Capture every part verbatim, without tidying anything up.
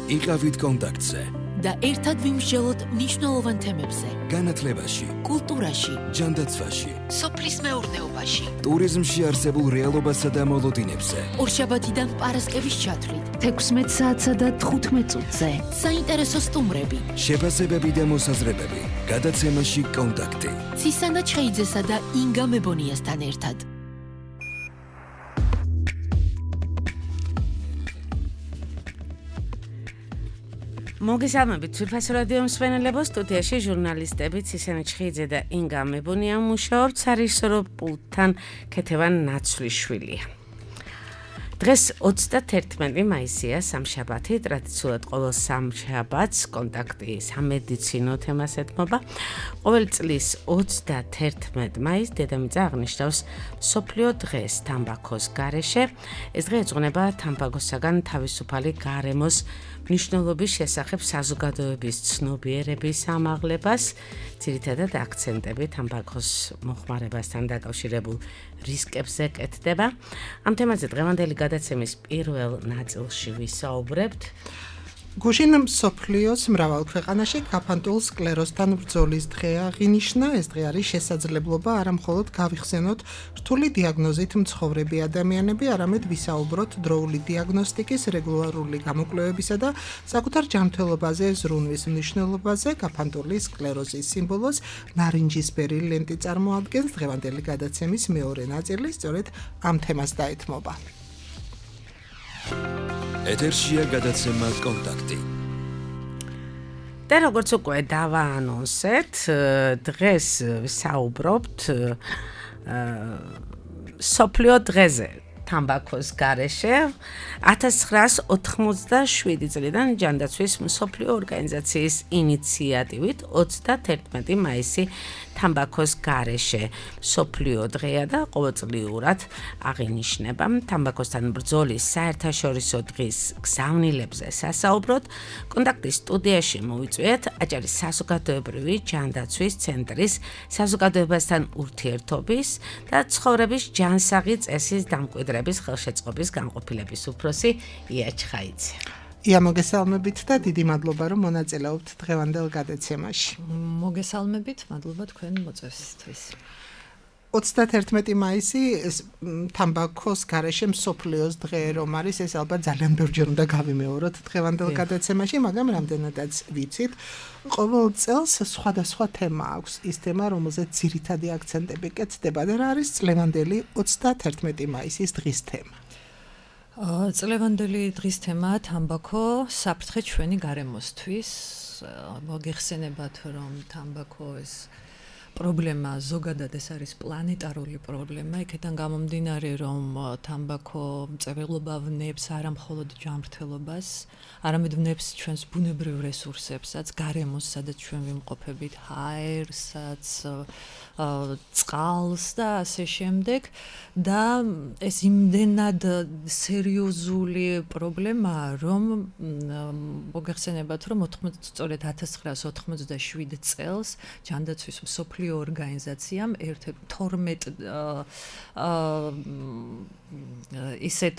იყავით კონტაქტზე და ერთად ვიმსჯელოთ მნიშვნელოვან თემებზე. განათლებაში, კულტურაში, ჯანდაცვაში, სოფლის მეურნეობაში, ტურიზმში არსებულ რეალობასა და მოლოდინებზე. ორშაბათიდან პარასკევის ჩათვლით, თექვსმეტ საათსა და თხუთმეტ წუთზე. საინტერესო სტუმრები, შეფასებები და მოსაზრებები. გადაცემაში კონტაქტი. ცისანა ჩხეიძესა და ინგა მებონიასთან ერთად. მოგესალმებით თვითფასო რადიო მსმენელებო, სტუდიაში ჟურნალისტები ცისანა ჩხეიძე და ინგა მებონია მუშაობთ, სარეჟისორო პულტთან ქეთევან ნაცვლიშვილია. დღეს ოცდათერთმეტი მაისია, სამშაბათი, ტრადიციულად ყოველ სამშაბათს კონტაქტი სამედიცინო თემას ეთმობა. ყოველ წლის ოცდათერთმეტ მაისს დედამიწა აღნიშნავს მსოფლიო დღეს თამბაქოს გარეშე. ეს დღე ეძღვნება თამბაქოსაგან თავისუფალი გარემოს მნიშვნელობის შესახებ საზოგადოების ცნობიერების ამაღლებას, ძირითადად აქცენტები თამბაქოს მოხმარებასთან დაკავშირებულ რისკებზე კეთდება. ამ თემაზე დღევანდელი გადაცემის პირველ ნაწილში ვისაუბრებთ. გუშინ მსოფლიოს მრავალ ქვეყანაში გაფანტულ სკლეროსთან ბრძოლის დღე აღინიშნა. ეს დღე არის შესაძლებლობა არა მხოლოდ გავიხსენოთ რთული დიაგნოზით მცხოვრები ადამიანები, არამედ ვისაუბროთ დროული დიაგნოსტიკის, რეგულარული გამოკვლევებისა და საკუთარ ჯანმრთელობაზე ზრუნვის მნიშვნელობაზე. გაფანტული სკლეროზის სიმბოლოს ნარინჯისფერი ლენტი წარმოადგენს. დღევანდელი გადაცემის მეორე ნაწილი სწორედ ამ თემას დაეთმობა. ეთერშია გადაცემა კონტაქტი. და როგორც უკვე დავაანონსეთ, დღეს ვისაუბრობთ მსოფლიო დღეზე თამბაქოს გარეშე. ათას ცხრაას ოთხმოცდაშვიდი წლიდან ჯანდაცვის მსოფლიო ორგანიზაციის ინიციატივით ოცდათერთმეტი მაისი თამბაქოს გარეშე მსოფლიო დღეა და ყოველწლიურად აღინიშნება. თამბაქოსთან ბრძოლის საერთაშორისო დღის გზავნილებზე სასაუბროთ. კონტაქტის სტუდიაში მოვიწვიეთ აჭარის საზოგადოებრივი ჯანდაცვის ცენტრის საზოგადოებასთან ურთიერთობის და ცხოვრების ჯანსაღი წესის დამკვიდრების ხელშეწყობის განყოფილების უფროსი ია ჩხაიძე. ია, მოგესალმებით და დიდი მადლობა, რომ მონაწილეობთ დღევანდელ გადაცემაში. მოგესალმებით, მადლობა თქვენ მოწვევისთვის. ოცდათერთმეტი მაისი თამბაქოს გარეშე მსოფლიოს დღე რომ არის, ეს ალბათ ძალიან ბევრჯერ უნდა გავიმეოროთ დღევანდელ გადაცემაში, მაგრამ რამდენადაც ვიცით, ყოველ წელს სხვადასხვა თემა აქვს. ის თემა, რომელზეც ძირითადი აქცენტები კეთდება და რა არის წლევანდელი ოცდათერთმეტი მაისის დღის თემა. წლევანდელი დღის თემაა თამბაქო, საფრთხე ჩვენი გარემოსთვის. მოგეხსენებათ, რომ თამბაქო ეს პრობლემა ზოგადად ეს არის პლანეტარული პრობლემა, იქიდან გამომდინარე, რომ თამბაქო მწერლობა ვნებს არა მხოლოდ ჯანმრთელობას, არამედ ვნებს ჩვენს ბუნებრივ რესურსებსაც, გარემოს, სადაც ჩვენ ვიმყოფებით, ჰაერსაც, წყალს და ასე შემდეგ. და ეს იმდენად სერიოზული პრობლემაა, რომ მოგეხსენებათ, რომ სწორედ ათას ცხრაას ოთხმოცდაშვიდ წელს ჯანდაცვის მსოფლიო ორგანიზაციამ ერთ-ერთ თორმეტ ისეთ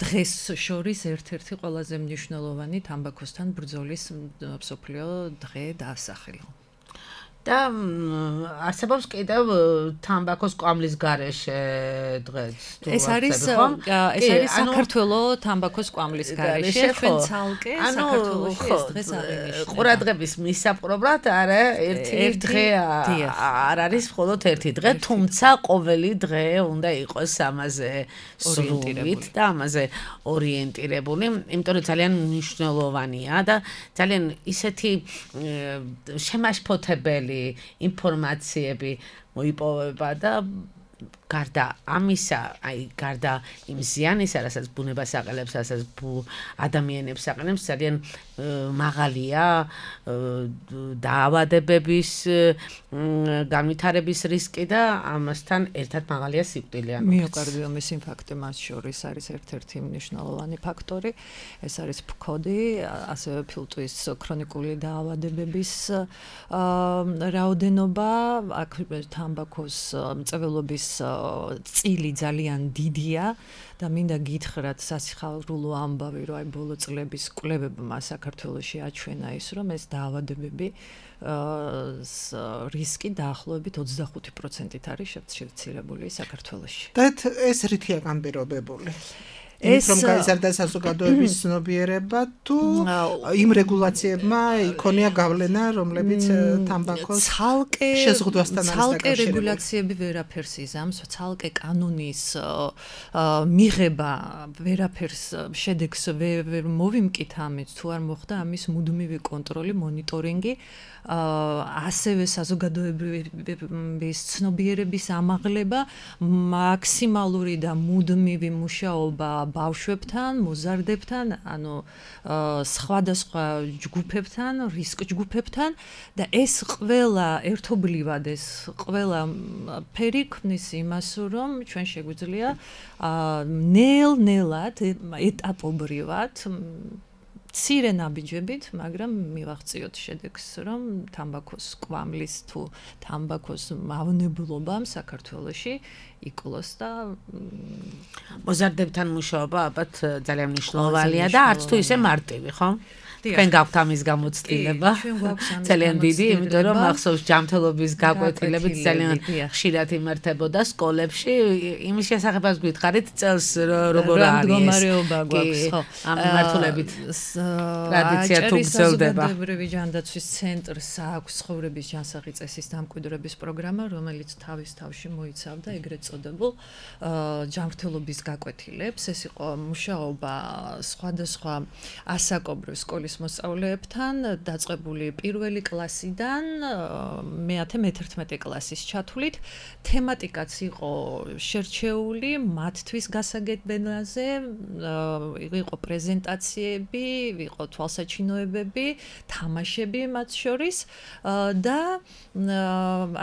დღეს შორის ერთ-ერთი ყველაზე მნიშვნელოვანი თამბაქოსთან ბრძოლის მსოფლიო დღე დაასახელა. და არსებობს კიდევ თამბაქოს კვამლის გარეშე დღეც. ეს არის ეს არის საქართველოს თამბაქოს კვამლის გარეშე, ჩვენ ცალკე საქართველოში ეს დღეს აღინიშნება. ყურადღების მისაპყრობლად არა ერთი დღე არ არის მხოლოდ ერთი დღე, თუმცა ყოველი დღე უნდა იყოს ამაზე სრულით და ამაზე ორიენტირებული, იმიტომ რომ ძალიან მნიშვნელოვანია და ძალიან ისეთი შემაშფოთებელი ინფორმაციები მოიპოვება და გარდა ამისა, აი გარდა იმ ზიანისა, რასაც ბუნებას აყენებს, რასაც ადამიანებს აყენებს, ძალიან მაღალია დაავადებების განვითარების რისკი და ამასთან ერთად მაღალია სიკვდილიანობა. მიოკარდიომის ინფარქტი მას შორის არის ერთ-ერთი მნიშვნელოვანი ფაქტორი. ეს არის ფქოდი, ასევე ფილტვის ქრონიკული დაავადებების რაოდენობა, აქ თამბაქოს მწვერვალობის წილი ძალიან დიდია და მინდა გითხრათ სასიხარულო ამბავი, რომ აი ბოლო წლების კვლევებმა საქართველოში აჩვენა ის, რომ ეს დაავადებები რისკი დაახლოებით ოცდახუთი პროცენტით არის შევცირებული საქართველოში. და ეს რითია განპირობებული? ეს რომ გაიზარდა საზოგადოების ცნობიერება თუ იმ რეგულაციებმა იქონია გავლენა, რომლებიც თამბაქოს ცალკე შეზღუდვასთან არის დაკავშირებული. ცალკე რეგულაციები ვერაფერს იზამს, ცალკე კანონის მიღება ვერაფერს შედეგს ვერ მოვიმკით ამით, თუ არ მოხდა ამის მუდმივი კონტროლი, მონიტორინგი, ასევე საზოგადოების ცნობიერების ამაღლება, მაქსიმალური და მუდმივი მუშაობა ბავშვებთან, მოზარდებთან, ანუ სხვადასხვა ჯგუფებთან, რისკ ჯგუფებთან და ეს ყველა ერთობლივად ეს ყველა ფერი ქმნის იმას, რომ ჩვენ შეგვიძლია ნელ-ნელად ეტაპობრივად მცირე ნაბიჯებით, მაგრამ მივაღწიოთ შედეგს, რომ თამბაქოს კვამლის თუ თამბაქოს მავნებლობამ საქართველოში იკლოს და მოზარდებთან მუშაობა ალბათ ძალიან მნიშვნელოვანია და არც თუ ისე მარტივი, ხო? თქვენ გაქვთ ამის გამოცდილება. ძალიან დიდი, იმიტომ რომ ახსოვს ჯანმრთელობის გაკვეთილებით ძალიან ხშირად იმართებოდა სკოლებში. იმის შესახებაც გითხარით წელს როგორ არის მდგომარეობა გვაქვს, ხო? ამ მიმართულებით ტრადიცია თუ გრძელდება. საზოგადოებრივი ჯანდაცვის ცენტრს აქვს ცხოვრების ჯანსაღი წესის დამკვიდრების პროგრამა, რომელიც თავის თავში მოიცავდა ეგრეთ წოდებულ ჯანმრთელობის გაკვეთილებს. ეს იყო მუშაობა სხვადასხვა ასაკობრივ სკოლის მოსწავლეებთან, დაწყებული პირველი კლასიდან მეათე მეთერთმეტე კლასის ჩათვლით. თემატიკაც იყო შერჩეული მათთვის გასაგებენაზე, იყო პრეზენტაციები, იყო თვალსაჩინოებები, თამაშები მათ შორის და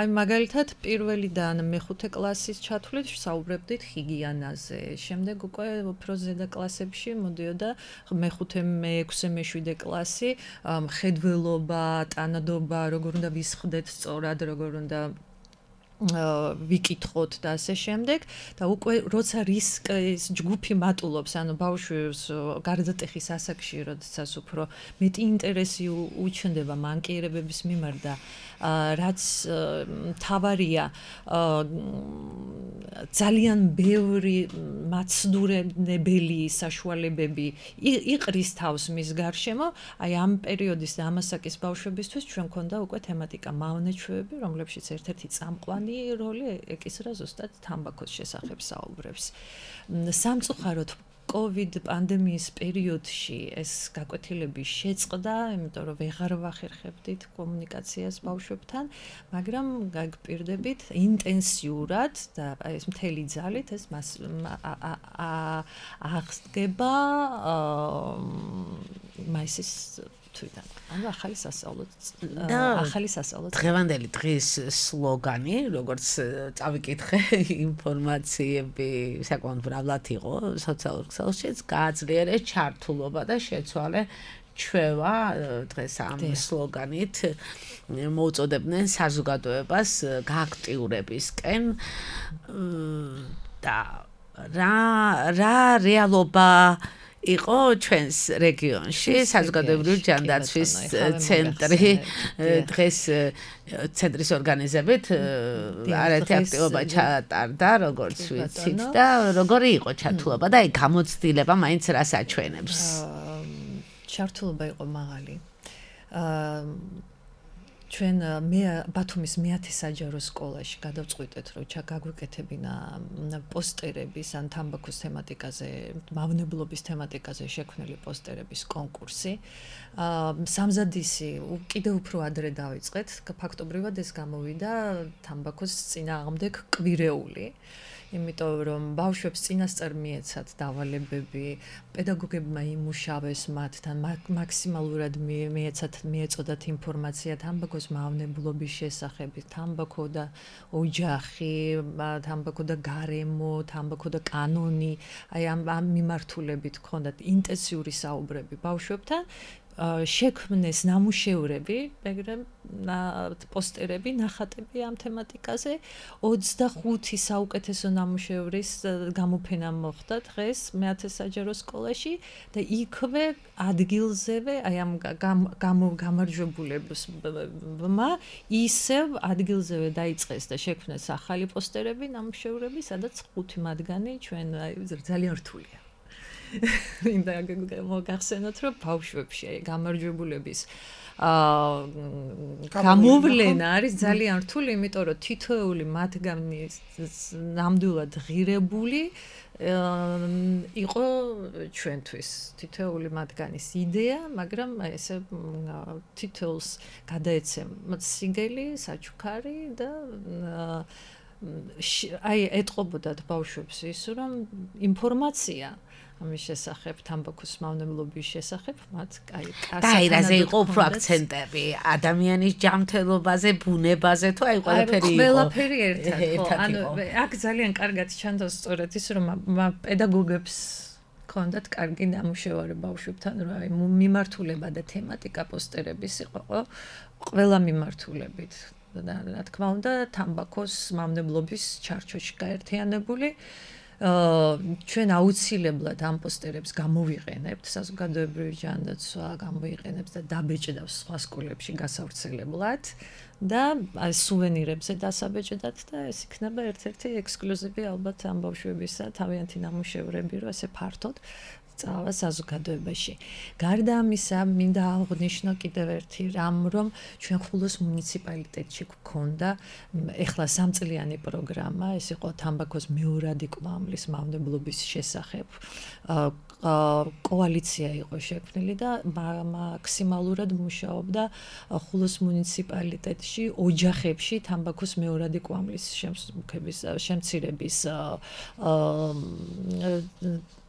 აი მაგალითად პირველიდან მეხუთე კლასის ჩათვლით საუბრებდით ჰიგიენაზე. შემდეგ უკვე უფრო ზედა კლასებში მოდიოდა მეხუთე, მეექვსე, მეშვიდე კლასი, მხედველობა, ტანადობა, როგორ უნდა ვისხდეთ სწორად, როგორ უნდა ვიკითხოთ და ასე შემდეგ და უკვე როცა რისკის ჯგუფი მატულობს, ანუ ბავშვს გარდატეხის ასაკში, როდესაც უფრო მეტი ინტერესი უჩნდება მანკიერებების მიმართ და რაც თავარია ძალიან ბევრი მაცდურებელი საშუალებები იყრის თავს მის გარშემო, აი ამ პერიოდის და ამ ასაკის ბავშვებისთვის ჩვენ მქონდა უკვე თემატიკა მავნეჩვევები, რომლებშიც ერთ-ერთი წამყვანი როლი ეკისრა ზუსტად თამბაქოს შესახებ საუბრებს. სამწუხაროდ COVID პანდემიის პერიოდში ეს გაკვეთილები შეწყდა, იმიტომ რომ ვეღარ ვახერხებდით კომუნიკაციას ბავშვებთან, მაგრამ გაგპირდებით ინტენსიურად და ეს მთელი ძალით ეს აღსდგება მაისის თვიდან. ანუ ახალი სასწავლო ახალი სასწავლო დღევანდელი დღის სლოგანი, როგორც წავიკითხე, ინფორმაციები საკმაოდ მრავლად იყო სოციალურ ქსელშიც, გააძლიერეს ჩართულობა და შეცვალე ჩვევა. დღეს ამ სლოგანით მოუწოდებდნენ საზოგადოებას გააქტიურებისკენ და რა რა რეალობა იყო ჩვენს რეგიონში საზოგადოებრივი ჯანდაცვის ცენტრი დღეს ცენტრის ორგანიზებით არაერთი აქტივობა ჩატარდა, როგორც ვიცით და როგორი იყო ჩართულობა და აი გამოცდილება მაინც რას აჩვენებს? ჩართულობა იყო მაღალი. ჩვენ მე ბათუმის მეათე საჯარო სკოლაში გადავწყვიტეთ, რომ ჩაგაგვიკეთებინა პოსტერების ან თამბაქოს თემატიკაზე, მავნებლობის თემატიკაზე შექმნილი პოსტერების კონკურსი. სამზადისი კიდევ უფრო ადრე დავიწყეთ, ფაქტობრივად ეს გამოვიდა თამბაქოს წინააღმდეგ კვირეული. იმიტომ რომ ბავშვებს წინასწარ მიეცათ დავალებები, პედაგოგებმა იმუშავეს მათთან, მაქსიმალურად მიეცათ მიეწოდათ ინფორმაცია თამბაქოს მავნებლობის შესახებ, თამბაქო და ოჯახი, თამბაქო და გარემო, თამბაქო და კანონი, აი ამ მიმართულებით გქონდათ ინტენსიური საუბრები ბავშვებთან. შექმნეს ნამუშევრები, მაგრამ პოსტერები, ნახატები ამ თემატიკაზე ოცდახუთი საუკეთესო ნამუშევრის გამოფენა მოხდა დღეს მეათე საჯარო სკოლაში და იქვე ადგილზევე აი ამ გამარჯვებულებმა ისევ ადგილზევე დაიწყეს და შექმნეს ახალი პოსტერები, ნამუშევრები, სადაც ხუთი მათგანი ჩვენ ძალიან რთულია. მინდა მოგახსენოთ, რომ ბავშვებში გამარჯვებულების აა გამოვლენა არის ძალიან რთული, იმიტომ რომ თითოეული მათგანი ნამდვილად ღირებული იყო ჩვენთვის თითოეული მათგანის იდეა, მაგრამ ესე თითოეულს გადაეცემა სიგელი, საჩუქარი და აი ეტყობოდათ ბავშვებს ის, რომ ინფორმაცია ამის შესახებ, თამბაქოს მავნებლობის შესახებ, მათ აი კასაკანაზე იყო უფრო აქცენტები, ადამიანის ჯანმრთელობაზე, ბუნებაზე, თუ აი ყველაფერი იყო. ყველაფერი ერთად, ხო, ანუ აქ ძალიან კარგად ჩანდა სწორედ ის, რომ პედაგოგებს ქონდათ კარგი ნამუშევარი ბავშვებთან, რომ აი მიმართულება და თემატიკა პოსტერების იყო ყველა მიმართულებით. და რა თქმა უნდა, თამბაქოს მავნებლობის ჩარჩოში გაერთიანებული ჩვენ აუცილებლად ამ პოსტერებს გამოვიყენებთ საზოგადოებრივი ჯანდაცვა გამოვიყენებს და დაბეჭდავს სხვა სკოლებში გასავრცელებლად და სუვენირებზე დასაბეჭდათ და ეს იქნება ერთ-ერთი ექსკლუზივი ალბათ ამ ბავშვებისა თავიანთი ნამუშევრები რო ესე ფართოდ წავა საზოგადოებაში. გარდა ამისა, მინდა აღვნიშნო კიდევ ერთი რამ, რომ ჩვენ ხულოს მუნიციპალიტეტში გქონდა ეხლა სამწლიანი პროგრამა, ეს იყო თამბაქოს მეორადი კვამლის მავნებლობის შესახებ. კოალიცია იყო შექმნილი და მაქსიმალურად მუშაობდა ხულოს მუნიციპალიტეტში, ოჯახებში თამბაქოს მეორადი კვამლის შემცირების შემცირების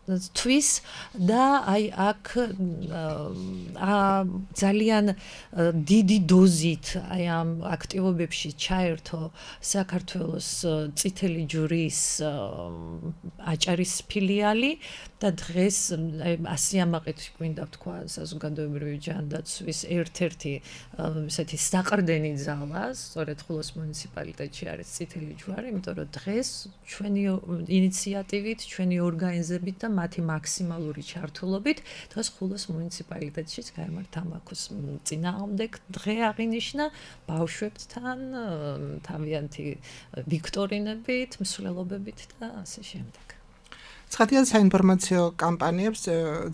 თვის და აი აქ ძალიან დიდი დოზით აი ამ აქტივობებში ჩაერთო საქართველოს წითელი ჯვრის აჭარის ფილიალი და დღეს ასიამაყით გვინდა თქვა საზოგადოებრივი ჯანდაცვის ერთ-ერთი ესეთი საყრდენი ძალა, სწორედ ხულოს მუნიციპალიტეტში არის წითელი ჯვარი, იმიტომ რომ დღეს ჩვენი ინიციატივით, ჩვენი ორგანიზებით და მათი მაქსიმალური ჩართულობით დღეს ხულოს მუნიციპალიტეტშიც გაემართ თამბაქოს წინააღმდეგ დღე აღინიშნა ბავშვებთან თავიანთი ვიქტორინებით, მსვლელობებით და ასე შემდეგ. ცხადია საინფორმაციო კამპანიებს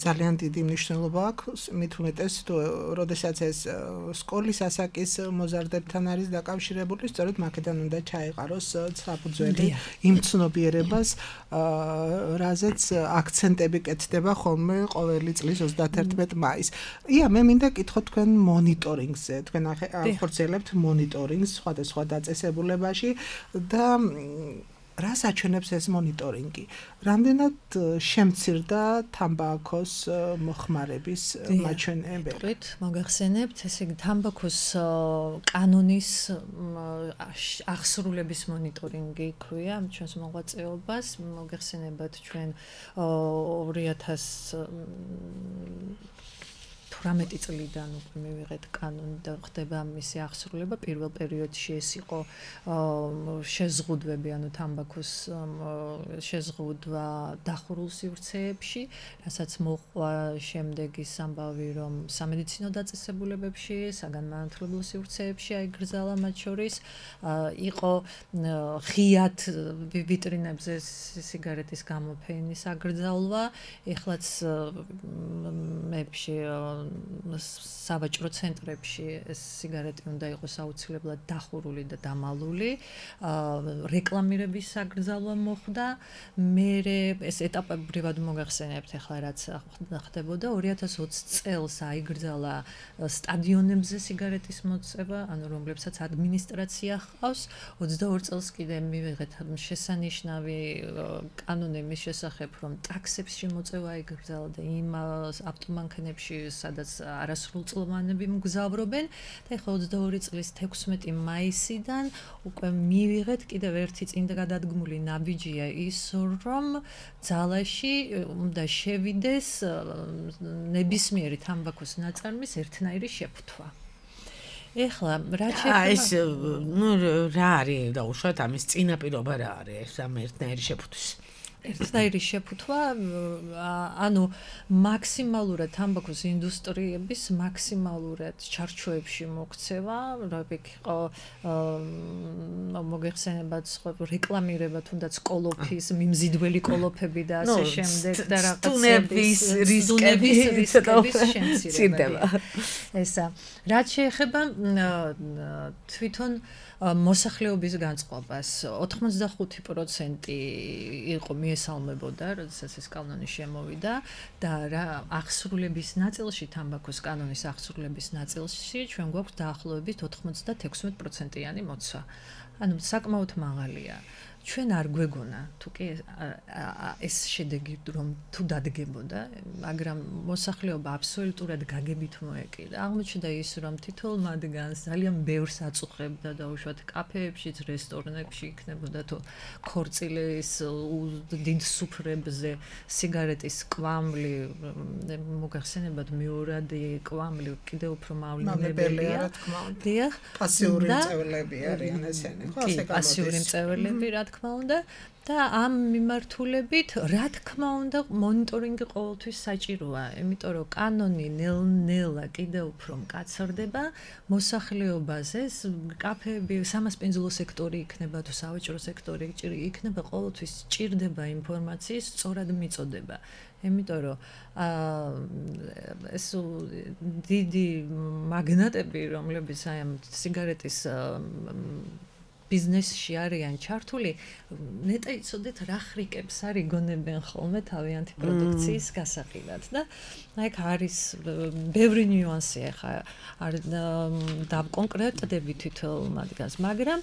ძალიან დიდი მნიშვნელობა აქვს, მით უმეტეს თუ როდესაც ეს სკოლის ასაკის მოზარდებთან არის დაკავშირებული, სწორედ მაქედან უნდა ჩაეყაროს საფუძველი იმ ცნობიერებას, რაზეც აქცენტები კეთდება ხოლმე ყოველი წლის ოცდაათერთმეტ მაისს. ია, მე მინდა კითხოთ თქვენ მონიტორინგზე, თქვენ ახორციელებთ მონიტორინგს სხვადასხვა დაწესებულებაში და რას აჩვენებს ეს მონიტორინგი? რამდენად შემცირდა თამბაქოს მოხმარების მაჩვენებელი? მოგახსენებთ, ესე იგი თამბაქოს კანონის აღსრულების მონიტორინგი ქვია ჩვენს მოღვაწეობას. მოგახსენებათ ჩვენ ორი ათას თვრამეტი წლიდან უკვე მივიღეთ კანონი და ხდება მისი აღსრულება. პირველ პერიოდში ეს იყო შეზღუდვები, ანუ თამბაქოს შეზღუდვა დახურულ სივრცეებში, რასაც მოყვა შემდეგ ის ამბავი, რომ სამედიცინო დაწესებულებებში, საგანმანათლებლო სივრცეებში აიგრძალა მათ შორის, იყო ღიად ვიტრინებზე სიგარეტის გამოფენის აგრძალვა, ეხლაც მეებში სავაჭრო ცენტრებში ეს სიგარეტი უნდა იყოს აუცილებლად დახურული და დამალული. რეკლამირების აგრძალვა მოხდა. მე ეს ეტაპებრივად მოგახსენებთ ახლა რაც ხდებოდა ორი ათას ოცი წელს აიგრძალა სტადიონებზე სიგარეტის მოწევა, ანუ რომლებსაც ადმინისტრაცია ჰყავს. ოცდაორ წელს კიდე მივიღეთ შესანიშნავი კანონი მის შესახებ, რომ ტაქსებში მოწევა აიგრძალა და იმ ავტომანქანებში სადაც სადაც არასრულწლოვანები მგზავრობენ და ეხლა ოცდაორი წლის თექვსმეტი მაისიდან უკვე მივიღეთ კიდევ ერთი წინდაგადადგმული ნაბიჯია ის რომ ძალაში უნდა შევიდეს ნებისმიერი თამბაქოს ნაწარმის ერთნაირი შეფუთვა. ეხლა რა შეფუთვა? აი ეს ნუ რა არის დაუშვათ ამის წინაპირობა რა არის ამ ერთნაირი შეფუთვის? ერთნაირი შეფუთვა, ანუ მაქსიმალურად თამბაქოს ინდუსტრიების მაქსიმალურად ჩარჩოებში მოქცევა, როიქ იყო მოგეხსენებათ სხვა რეკლამირება თუნდაც კოლოფის, მიმზიდველი კოლოფები და ასე შემდეგ და რაღაცების რისკების რისკების შემცირება. ესა. რაც შეეხება თვითონ მოსახლეობის განწყობას ოთხმოცდახუთი პროცენტი იყო მიესალმებოდა, როდესაც ეს კანონი შემოვიდა და რა აღსრულების ნაწილში თამბაქოს კანონის აღსრულების ნაწილში ჩვენ გვაქვს დაახლოებით ოთხმოცდათექვსმეტ პროცენტიანი მოცვა. ანუ საკმაოდ მაღალია. ჩვენ არ გვეგონა თუ კი ეს შედეგი რომ თუ დადგებოდა, მაგრამ მოსახლეობა აბსოლუტურად გაგებით მოეკიდა. აღმოჩნდა ის რომ თითოეულ მათგანს ძალიან ბევრს აწუხებდა და უშუალოდ კაფეებშიც, რესტორნებში იქნებოდა თუ ქორწილის დიდ სუფრებზე სიგარეტის კვამლი, მოგახსენებათ მეორადი კვამლი კიდევ უფრო მავნებელია, რა თქმა უნდა. დიახ, პასიური მწვერვალები არიან ესენი, ხო, ასე გამოდის. პასიური მწვერვალები, რა თქმა უნდა და ამ მიმართულებით რა თქმა უნდა მონიტორინგი ყოველთვის საჭიროა, იმიტომ რომ კანონი ნელ-ნელა კიდევ უფრო მკაცრდება, მოსახლეობაზე ეს კაფეები, სამასპინძლო სექტორი იქნება თუ სავაჭრო სექტორი იქნება, ყოველთვის ჭირდება ინფორმაციის სწორად მიწოდება. იმიტომ რომ ეს დიდი მაგნატები, რომლებიც აი ამ სიგარეტის ბიზნესში არიან ჩართული, ნეტა იცოდეთ რა ხრიკებს არ იგონებენ ხოლმე თავიანთი პროდუქციის გასაყიდად და აი აქ არის ბევრი ნიუანსი ახლა არ დავკონკრეტდები თითოეულ მათგანს, მაგრამ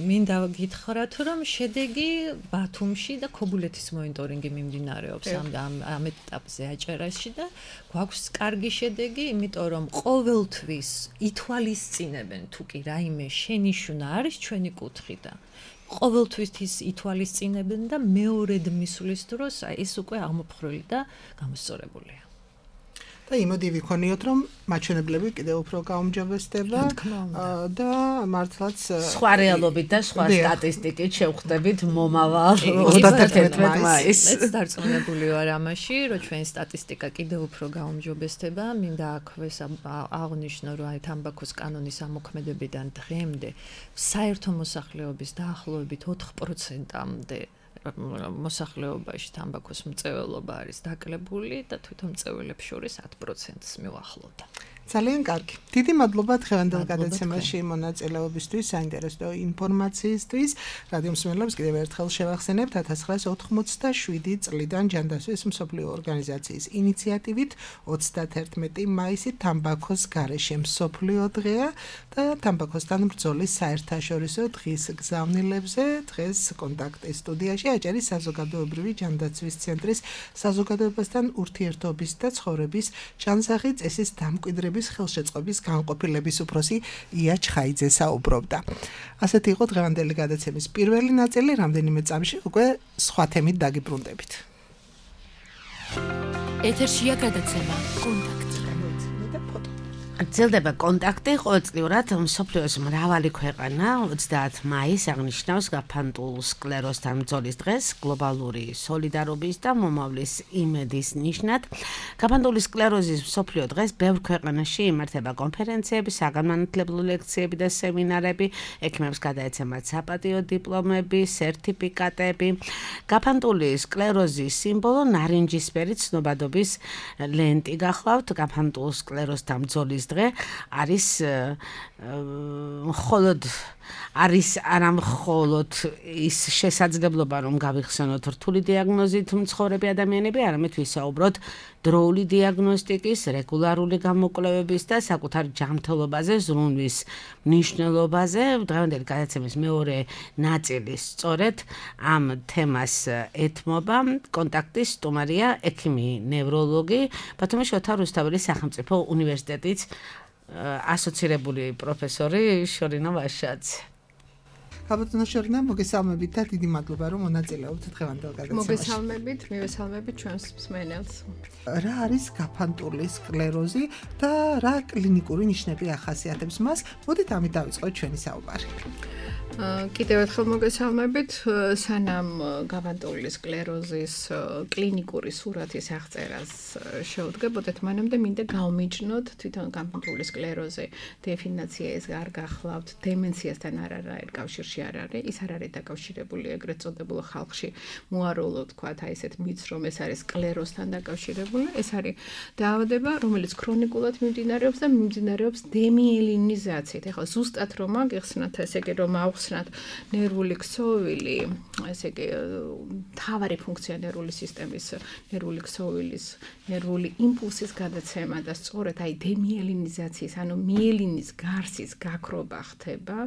მინდა გითხრათ რომ შედეგი ბათუმში და ქობულეთის მონიტორინგი მიმდინარეობს ამ ამ ეტაპზე აჭარაში და გვაქვს კარგი შედეგი, იმიტომ რომ ყოველთვის ითვალისწინებენ თუ კი რაიმე შენიშვნა არის ჩვენი კუთხიდან. ყოველთვის ის ითვალისწინებენ და მეორედ მისვლის დროს ეს უკვე აღმოფხრილი და გამოსწორებულია. და იმოდი ვიქონიოთ რომ მაჩვენებლები კიდევ უფრო გაუმჯობესდება და მართლაც სხვა რეალობით და სხვა სტატისტიკით შევხვდებით მომავალ ოცდათერთმეტ მაისს. ეს დარწმუნებული ვარ ამაში, რომ ჩვენი სტატისტიკა კიდევ უფრო გაუმჯობესდება. მინდა აქვეს აღნიშნო, რომ აი თამბაქოს კანონის ამოქმედებიდან დღემდე საერთო მოსახლეობის დაახლოებით ოთხ პროცენტამდე მოსახლეობაში თამბაქოს მწვერვალობა არის დაკლებული და თვითონ მწვერვალებს შორის ათ პროცენტს მივახლოვდა. ძალიან კარგი. დიდი მადლობა დღევანდელ გადაცემაში მონაწილეობისთვის, საინტერესო ინფორმაციისთვის. რადიო მსმენელებს კიდევ ერთხელ შევახსენებთ ათას ცხრაას ოცდაშვიდი წლიდან ჯანდაცვის მსოფლიო ორგანიზაციის ინიციატივით ოცდათერთმეტი მაისი თამბაქოს გარეშე მსოფლიო დღეა და თამბაქოსთან ბრძოლის საერთაშორისო დღის გზავნილებზე დღეს კონტაქტის სტუდიაში აჭარის საზოგადოებრივი ჯანდაცვის ცენტრის საზოგადოებასთან ურთიერთობის და ცხოვრების ჩანსახი წესის დამკვიდრების ხელშეწყობის განყოფილების უფროსი ია ჩხაიძე საუბრობდა. ასეთი იყო დღევანდელი გადაცემის პირველი ნაწილი, რამდენიმე წამში უკვე სხვა თემით დაგიბრუნდებით. ეთერშია გადაცემა კონტაქტი. გრძელდება კონტაქტი ყოველწლიურად მსოფლიოს მრავალი ქვეყანა ოცდაათი მაისს აღნიშნავს გაფანტულ სკლეროსთან ბრძოლის დღეს გლობალური სოლიდარობის და მომავლის იმედის ნიშნად. გაფანტული სკლეროზის მსოფლიო დღეს ბევრ ქვეყანაში იმართება კონფერენციები, საგანმანათლებლო ლექციები და სემინარები, ექიმებს გადაეცემათ საპატიო დიპლომები, სერტიფიკატები. გაფანტული სკლეროზის სიმბოლო ნარინჯისფერი ცნობადობის ლენტი გახლავთ. გაფანტულ სკლეროსთან ბრძოლის დღე არის მხოლოდ არის არა მხოლოდ ის შესაძლებლობა რომ გავიხსენოთ რთული დიაგნოზით მცხოვრები ადამიანები, არამედ ვისაუბროთ დროული დიაგნოსტიკის, რეგულარული გამოკვლევების და საკუთარ ჯანმრთელობაზე ზრუნვის მნიშვნელობაზე. დღევანდელი გადაცემის მეორე ნაწილი სწორედ ამ თემას ეთმობა. კონტაქტის სტუმარია ექიმი ნევროლოგი ბათუმის შოთა რუსთაველის სახელმწიფო უნივერსიტეტის ასოცირებული პროფესორი შორინა ვაშაძე. გაბატონო შორინა, მოგესალმებით და დიდი მადლობა რომ მონაწილეობთ დღევანდელ გადაცემაში. მოგესალმებით, მივესალმებით ჩვენს მსმენელს. რა არის გაფანტული სკლეროზი და რა კლინიკური ნიშნები ახასიათებს მას? მოდით ამით დავიწყოთ ჩვენი საუბარი. კიდევ ერთხელ მოგესალმებით, სანამ გაფანტული სკლეროზის კლინიკური სურათის აღწერას შევდგებოდეთ, მანამდე მინდა გავმიჯნოთ თვითონ გაფანტული სკლეროზი დეფინიცია ეს არ გახლავთ, დემენციასთან არ არის კავშირში არ არის, ის არ არის დაკავშირებული ეგრეთ წოდებულ ხალხში მოაროლო თქვათ აი ესეთ მითს რომ ეს არის სკლეროზთან დაკავშირებული, ეს არის დაავადება, რომელიც ქრონიკულად მიმდინარეობს და მიმდინარეობს დემიელინიზაციით. ეხლა ზუსტად რომ აგეხსნათ, ესე იგი რომ ახსნათ ნერვული ქსოვილი, ესე იგი მთავარი ფუნქცია ნერვული სისტემის, ნერვული ქსოვილის, ნერვული იმპულსის გადაცემა და სწორედ აი დემიელინიზაციის, ანუ მიელინის გარსის გაქრობა ხდება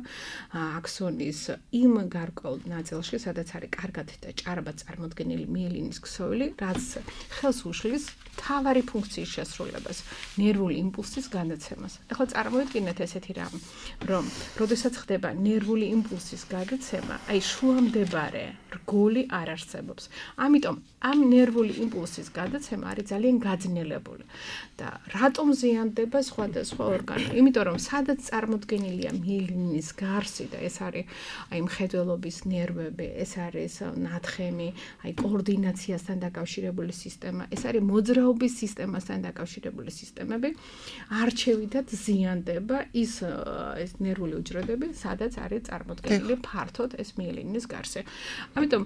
აქსონის იმ გარკვეულ ნაწილში, სადაც არის კარგად და ჭარბად წარმოდგენილი მიელინის ქსოვილი, რაც ხელს უშლის მთავარი ფუნქციის შესრულებას, ნერვული იმპულსის გადაცემას. ეხლა წარმოვიდგინეთ ესეთი რამ, რომ როდესაც ხდება ნერვული იმპულსის გადაცემა, აი შუამდებარე რგოლი არ არსებობს. ამიტომ ამ ნერვული იმპულსის გადაცემა არის ძალიან გაძნელებული. და რატომ ზიანდება სხვადასხვა ორგანო? იმიტომ რომ სადაც წარმოდგენილია მიელინის გარსი და ეს არის აი მხედველობის ნერვები, ეს არის ნათხემი, აი კოორდინაციასთან დაკავშირებული სისტემა, ეს არის მოძრაობის სისტემასთან დაკავშირებული სისტემები, არჩევითად ზიანდება ის ეს ნერვული უჯრედები, სადაც არის წარმოდგენილი ფართოდ ეს მიელინის გარსი. ამიტომ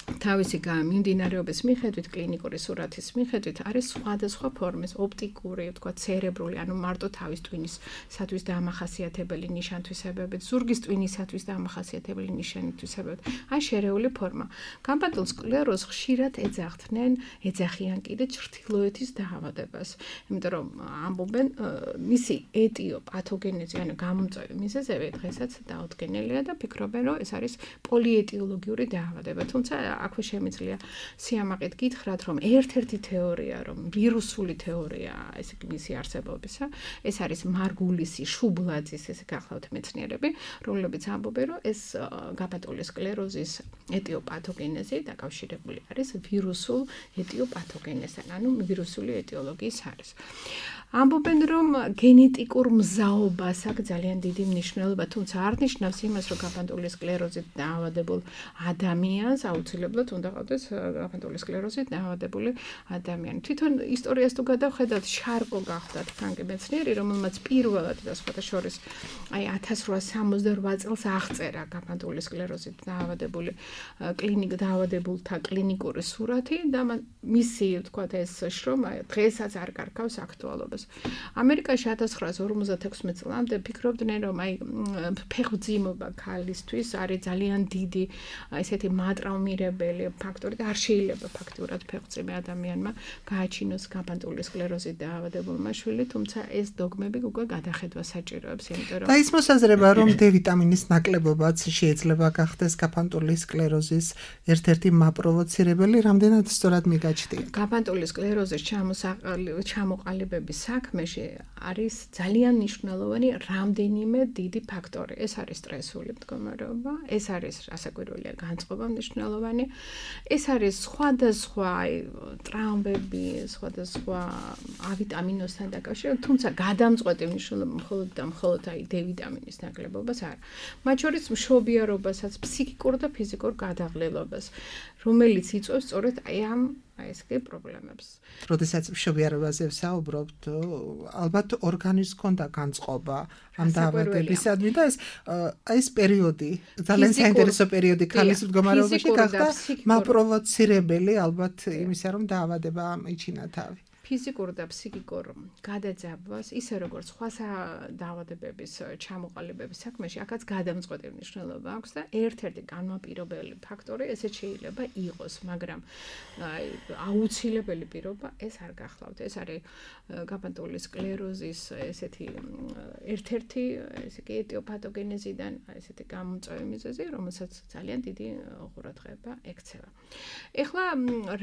თავისი მიმდინარეობის მიხედვით, კლინიკური სურათის მიხედვით არის სხვადასხვა ფორმის, ოპტიკური, თქვა ცერებრული, ანუ მარტო თავის ტვინისათვის დამახასიათებელი ნიშან-თვისებებით, ზურგის ტვინისათვის დამახასიათებელი ნიშანი-თვისებებით, ან შერეული ფორმა. გაფანტულ სკლეროზს ხშირად ეძახდნენ, ეძახიან კიდე ჩრდილოეთის დაავადებას, იმიტომ რომ ამბობენ მისი ეტიოპათოგენეზი, ანუ გამომწვევი მიზეზები დღესაც დაუდგენელია და ფიქრობენ, რომ ეს არის პოლიეტიოლოგიური დაავადება, თუმცა აქვე შემიძლია სიამაყით გითხრათ, რომ ერთ-ერთი თეორია, რომ ვირუსული თეორია, ესე იგი მისი არსებობისა, ეს არის მარგულისი, შუბლაძის, ესე გახლავთ მეცნიერები, რომლებიც ამბობენ, რომ ეს გაფანტული სკლეროზის ეტიოპათოგენეზი დაკავშირებული არის ვირუსულ ეტიოპათოგენეზთან, ანუ ვირუსული ეტიოლოგიის არის. ამბობენ, რომ გენეტიკურ მზაობას აქვს ძალიან დიდი მნიშვნელობა, თუმცა არ ნიშნავს იმას, რომ გაფანტული სკლეროზით დაავადებულ ადამიანს აუცილებლად უნდა ყავდეს გაფანტული სკლეროზით დაავადებული ადამიანი. თვითონ ისტორიას თუ გადავხედავთ, შარკო გახდათ ფრანკი მეცნიერი, რომელმაც პირველად და სხვათა შორის აი ათას რვაას სამოცდარვა წელს აღწერა გაფანტული სკლეროზით დაავადებული კლინიკ დაავადებულთა კლინიკური სურათი და მისი თქვათ ეს შრომა დღესაც არ კარგავს აქტუალობას. ამერიკაში ათას ცხრაას ორმოცდათექვსმეტ წლამდე ფიქრობდნენ, რომ აი ფეხმძიმობა ქალისთვის არის ძალიან დიდი ესეთი მატრაუმირებელი ფაქტორი და არ შეიძლება ფაქტურად ფეხმძიმე ადამიანმა გააჩინოს გაფანტული სკლეროზით დაავადებულმა შვილი, თუმცა ეს დოგმები უკვე გადახედვა საჭიროებს, იმიტომ რომ და ის მოსაზრება, რომ D ვიტამინის ნაკლებობაც შეიძლება გახდეს გაფანტული სკლეროზის ერთ-ერთი მაპროვოცირებელი, რამდენად სწორად მიგაჩნია? გაფანტული სკლეროზის ჩამოყალიბების საქმეში არის ძალიან მნიშვნელოვანი რამდენიმე დიდი ფაქტორი. ეს არის სტრესული მდგომარეობა, ეს არის რასაკვირველია განწყობა მნიშვნელოვანი, ეს არის სხვადასხვა ტრაუმები, სხვადასხვა ავიტამინოსთან დაკავშირებით, თუმცა გადამწყვეტი მნიშვნელობა მხოლოდ და მხოლოდ აი D ვიტამინის ნაკლებობას არა. მათ შორის მშობიარობასაც, ფსიქიკურ და ფიზიკურ გადაღლილობას, რომელიც იწვევს სწორედ აი ამ აი ეს კი პრობლემებს. როდესაც მშობიარობაზე ვსაუბრობთ, ალბათ ორგანიზმს ჰქონდა განწყობა ამ დაავადებისადმი და ეს ეს პერიოდი, ძალიან საინტერესო პერიოდი ქალის მდგომარეობაში გახდა მაპროვოცირებელი ალბათ იმისა, რომ დაავადება მიჩინა თავი. ფიზიკურ და ფსიქიკურ გადაძაბვას, ისე როგორც სხვა დაავადებების ჩამოყალიბების საქმეში, აქაც გადამწყვეტი მნიშვნელობა აქვს და ერთ-ერთი განმაპირობებელი ფაქტორი ესეც შეიძლება იყოს, მაგრამ აუცილებელი პირობა ეს არ გახლავთ. ეს არის გაბანტული სკლეროზის ესეთი ერთ-ერთი ესე იგი ეტიოპათოგენეზიდან ესეთი გამომწვევი მიზეზი, რომელსაც ძალიან დიდი ყურადღება ექცევა. ეხლა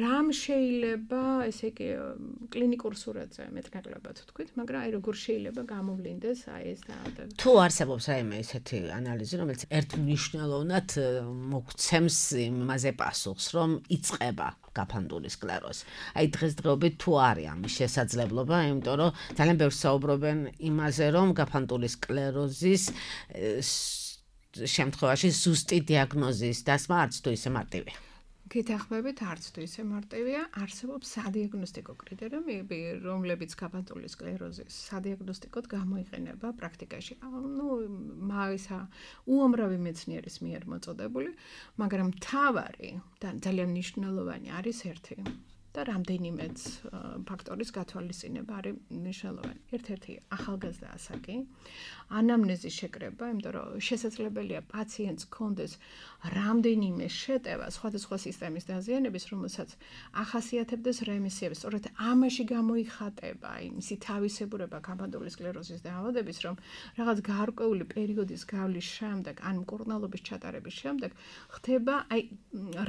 რამ შეიძლება ესე იგი კლინიკურ სურათზე მეტნაკლებად თქვით, მაგრამ აი როგორ შეიძლება გამოვლინდეს აი ეს დაავადება. თუ არსებობს რაიმე ესეთი ანალიზი, რომელიც ერთმნიშვნელოვნად მოგცემს იმაზე პასუხს, რომ იწყება გაფანტული სკლეროზი. აი დღესდღეობით თუ არის ამის შესაძლებლობა, იმიტომ რომ ძალიან ბევრს საუბრობენ იმაზე, რომ გაფანტული სკლეროზის შემთხვევაში ზუსტი დიაგნოზის დასმა არც თუ ისე მარტივია. გეთახმებით არც თუ ისე მარტივია, არსებობს სადიაგნოსტიკო კრიტერიუმები, რომლებიც გაფანტული სკლეროზის სადიაგნოსტიკოდ გამოიყენება პრაქტიკაში. ნუ მაგისა უამრავი მეცნიერის მიერ მოწოდებული, მაგრამ მთავარი და ძალიან მნიშვნელოვანი არის ერთი და რამდენიმეც ფაქტორის გათვალისწინება არის მნიშვნელოვანი. ერთ-ერთი ახალგაზრდა ასაკი, ანამნეზის შეკრება, იმიტომ რომ შესაძლებელია პაციენტს ჰქონდეს რამდენიმე შეტევა სხვადასხვა სისტემის დაზიანების, რომელსაც ახასიათებდეს რემისიებს. სწორედ ამაში გამოიხატება აი მისი თავისებურება გაფანტული სკლეროზის დაავადების, რომ რაღაც გარკვეული პერიოდის გავლის შემდეგ, ან მკურნალობის ჩატარების შემდეგ ხდება აი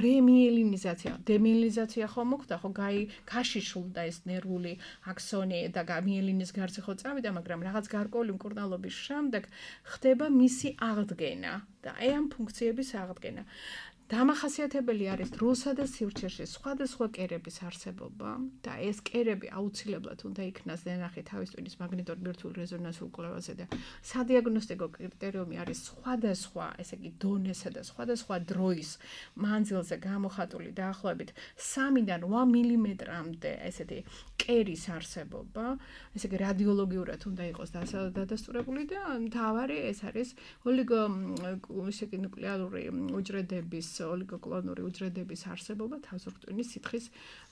რემიელინიზაცია, დემიელინიზაცია ხომ მოხდა, ხო გაი გაშიშულდა ეს ნერვული აქსონი და მიელინის გარსი ხო წავიდა, მაგრამ რაღაც გარკვეული მკურნალობის შემდეგ ხდება მისი აღდგენა და აი ამ ფუნქციების აღდგენა. დამახასიათებელი არის დროსა და სივრცეში სხვადასხვა კერების არსებობა და ეს კერები აუცილებლად უნდა იქნას ნახე თავის ტვინის მაგნიტურ ბირთვულ რეზონანსულ კვლევაზე და სადიაგნოსტიკო კრიტერიუმი არის სხვადასხვა, ესე იგი დონესა და სხვადასხვა დროის მანძილზე გამოხატული დაახლოებით სამიდან რვა მილიმეტრამდე ესეთი კერის არსებობა, ესე იგი რადიოლოგიურად უნდა იყოს დადასტურებული და მთავარი ეს არის ოლიგო ესე იგი ნუკლეარული უჯრედების ოლიგოკლონური უჯრედების არსებობა თავზურტვინის სითხის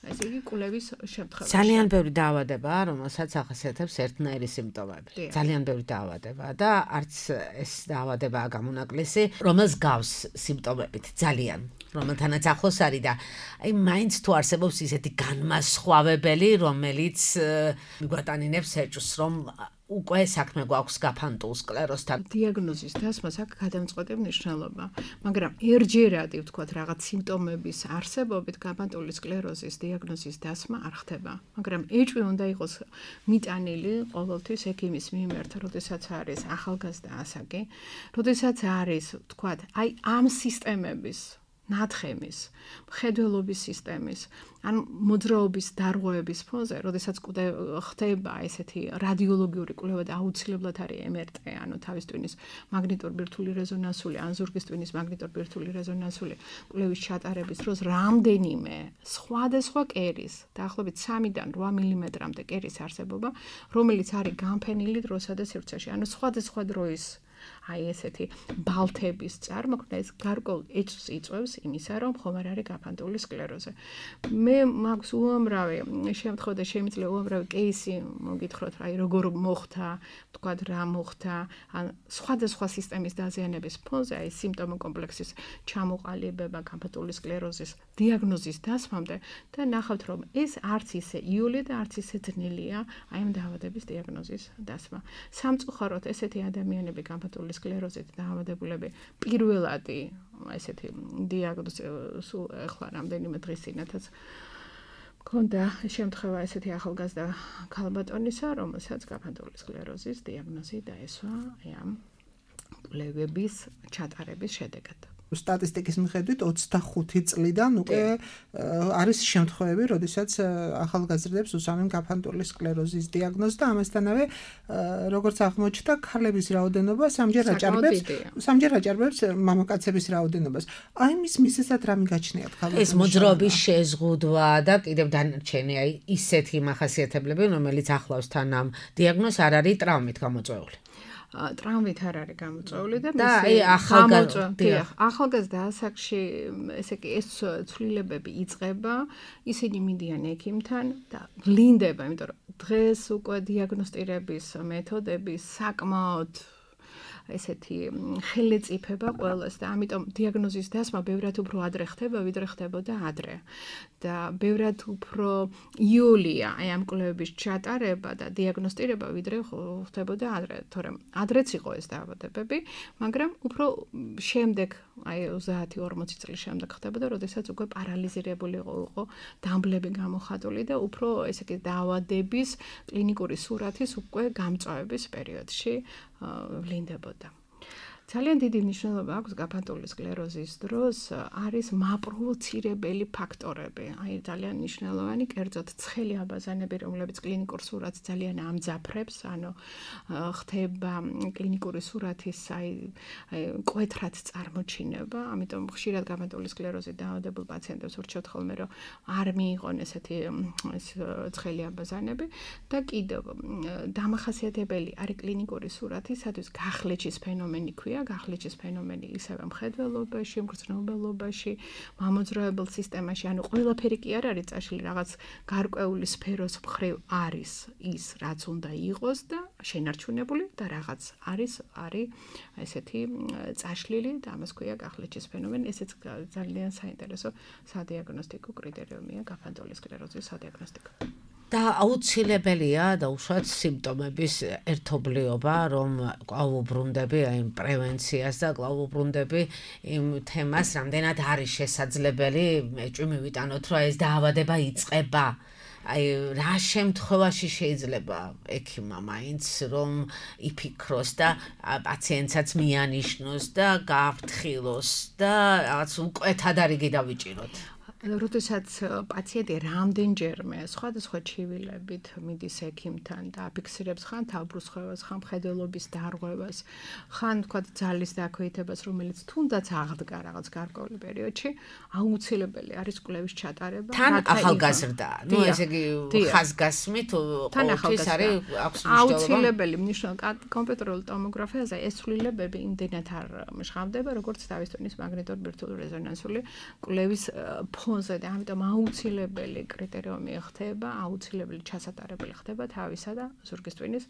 ესე იგი კვლევის შემთხვევაში. ძალიან ბევრი დაავადებაა, რომელსაც ახასიათებს ერთნაირი სიმპტომები. ძალიან ბევრი დაავადებაა და არც ეს დაავადებაა გამონაკლისი, რომელს გავს სიმპტომებით ძალიან, რომელთანაც ახლოს არის და აი მაინც თუ არსებობს ისეთი განმასხვავებელი, რომელიც მიგვატანინებს ეჭვს, რომ უკვე საქმე გვაქვს გაფანტულ სკლეროზთან. დიაგნოზის დასმას აქ გადამწყვეტი მნიშვნელობა, მაგრამ ერთჯერადი ვთქვათ რაღაც სიმპტომების არსებობით გაფანტული სკლეროზის დიაგნოზის დასმა არ ხდება, მაგრამ ეჭვი უნდა იყოს მიტანილი ყოველთვის ექიმის მიმართ, როდესაც არის ახალგაზრდა ასაკი, როდესაც არის ვთქვათ აი ამ სისტემების ნათხემის, მხედველობის სისტემის, ან მოძრაობის დარღვევების ფონზე, როდესაც ხდება ესეთი რადიოლოგიური კვლევა და აუცილებლად არის ემ ერ ტე, ანუ თავის ტვინის მაგნიტურ ბირთვული რეზონანსული, ან ზურგის ტვინის მაგნიტურ ბირთვული რეზონანსული კვლევის ჩატარების დროს რამდენიმე სხვადასხვა კერის, დაახლოებით სამიდან რვა მილიმეტრამდე კერის არსებობა, რომელიც არის განფენილი დროსა და სივრცეში, ანუ სხვადასხვა დროის აი ესეთი ბალთების წარმოქმნა ეს გარკვეულ ეჭვს იწვევს იმისა, რომ ხომ არ არის გაფანტული სკლეროზი. მე მაქვს უამრავი შემთხვევა და შემიძლია უამრავი кейსი მოგითხროთ, აი როგორ მოხდა, თქვათ რა მოხდა, ან სხვადასხვა სისტემის დაზიანების ფონზე, აი სიმპტომო კომპლექსის ჩამოყალიბება გაფანტული სკლეროზის დიაგნოზის დასმამდე და ნახავთ, რომ ეს არც ისე იოლია და არც ისე ძნელია აი ამ დაავადების დიაგნოზის დასმა. სამწუხაროდ ესეთი ადამიანები გაფანტული სკლეროზით დაავადებულები პირველადი ესეთი დიაგნოზი სულ ახლა რამდენიმე დღის წინათაც მქონდა შემთხვევა ესეთი ახალგაზრდა ქალბატონისა, რომელსაც გაფანტული სკლეროზის დიაგნოზი დაესვა ამ კვლევების ჩატარების შედეგად. სტატისტიკის მიხედვით ოცდახუთი წლიდან უკვე არის შემთხვევები, როდესაც ახალგაზრდებს უსვამენ გაფანტული სკლეროზის დიაგნოზი და ამასთანავე როგორც აღმოჩნდა, ქალების რაოდენობა სამჯერ აჭარბებს, სამჯერ აჭარბებს მამაკაცების რაოდენობას. აი მის მიზეზად რა მიგაჩნიათ ქალბატონებს? ეს მოძრაობის შეზღუდვა და კიდევ დანარჩენი აი ისეთი მახასიათებლები, რომელიც ახლავს თან ამ დიაგნოზს არ არის ტრაუმით გამოწვეული. ტრამვით არ არის გამოწვეული და და აი ახალგაზრდა ახალგაზრდა ასაკში ესე იგი ეს ცვლილებები იწყება, ისინი მიდიან ექიმთან და ვლინდება, იმიტომ რომ დღეს უკვე დიაგნოსტირების მეთოდები საკმაოდ ესეთი ხელეწიფება ყველას და ამიტომ დიაგნოზის დასმა ბევრად უფრო ადრე ხდება, ვიდრე ხდებოდა ადრე. და ბევრად უფრო იოლია აი ამ კვლევების ჩატარება და დიაგნოსტირება, ვიდრე ხდებოდა ადრე, თორემ ადრეც იყო ეს დაავადებები, მაგრამ უფრო შემდეგ, აი ოცდაათი ორმოცი წლის შემდეგ ხდებოდა, როდესაც უკვე პარალიზირებული იყო დამბლები გამოხატული და უფრო ესე იგი დაავადების კლინიკური სურათის უკვე გამწვავების პერიოდში ვლინდებოდა. ძალიან დიდი მნიშვნელობა აქვს გაფანტული სკლეროზის დროს არის მაპროვოცირებელი ფაქტორები. აი ძალიან მნიშვნელოვანი კერძოდ ცხელი აბაზანები, რომლებიც კლინიკურ სურათს ძალიან ამძაფრებს, ანუ ხდება კლინიკური სურათის აი მკვეთრად წარმოჩინება, ამიტომ ხშირად გაფანტული სკლეროზით დაავადებულ პაციენტებს ურჩევთ ხოლმე, რომ არ მიიღონ ესეთი ეს ცხელი აბაზანები და კიდევ დამახასიათებელი არის კლინიკური სურათისათვის გახლეჩის ფენომენი ქვია. გახლეჩის ფენომენი ისევე მხედველობაში, მგრძნობელობაში, მამოძრავებელ სისტემაში, ანუ ყველაფერი კი არ არის წაშლილი, რაღაც გარკვეული სფეროს მხრივ არის ის, რაც უნდა იყოს და შენარჩუნებული და რაღაც არის არის ესეთი წაშლილი და ამას ქვია გახლეჩის ფენომენი. ესეც ძალიან საინტერესო სადიაგნოსტიკო კრიტერიუმია გაფანტული სკლეროზის სადიაგნოსტიკო. და აუცილებელია და უშუალოდ სიმპტომების ერთობლიობა, რომ კვლავუბრუნდები აი პრევენციას და კვლავუბრუნდები იმ თემას, რამდენად არის შესაძლებელი, ეჭვი მივიტანოთ, რომ ეს დაავადება იწყება. აი რა შემთხვევაში შეიძლება ექიმმა მაინც რომ იფიქროს და პაციენტსაც მიანიშნოს და გააფრთხილოს და რაღაც მკვეთად არ იგი დავიჭიროთ. როდესაც პაციენტი რამდენჯერმე სხვადასხვა ჩივილებით მიდის ექიმთან და აფიქსირებს ხან თავბრუსხვევას, ხან მხედველობის დარღვევას, ხან თქვა ძალის დაქვეითებას, რომელიც თუნდაც აღდგა რაღაც გარკვეული პერიოდში, აუცილებელი არის კვლევის ჩატარება. თან ახალგაზრდა, ну ესე იგი ხაზგასმით ყოველთვის არის აქვს მნიშვნელობა. აუცილებელი მნიშვნელობა კომპიუტერულ ტომოგრაფიაზე ეს ცვლილებები იმდენად არ მჟღავდება, როგორც თავის ტვინის მაგნიტურ ბირთვულ რეზონანსული კვლევის ფონზე და ამიტომ აუცილებელი კრიტერიუმი ხდება, აუცილებელი ჩასატარებელი ხდება თავისა და ზურგის ტვინის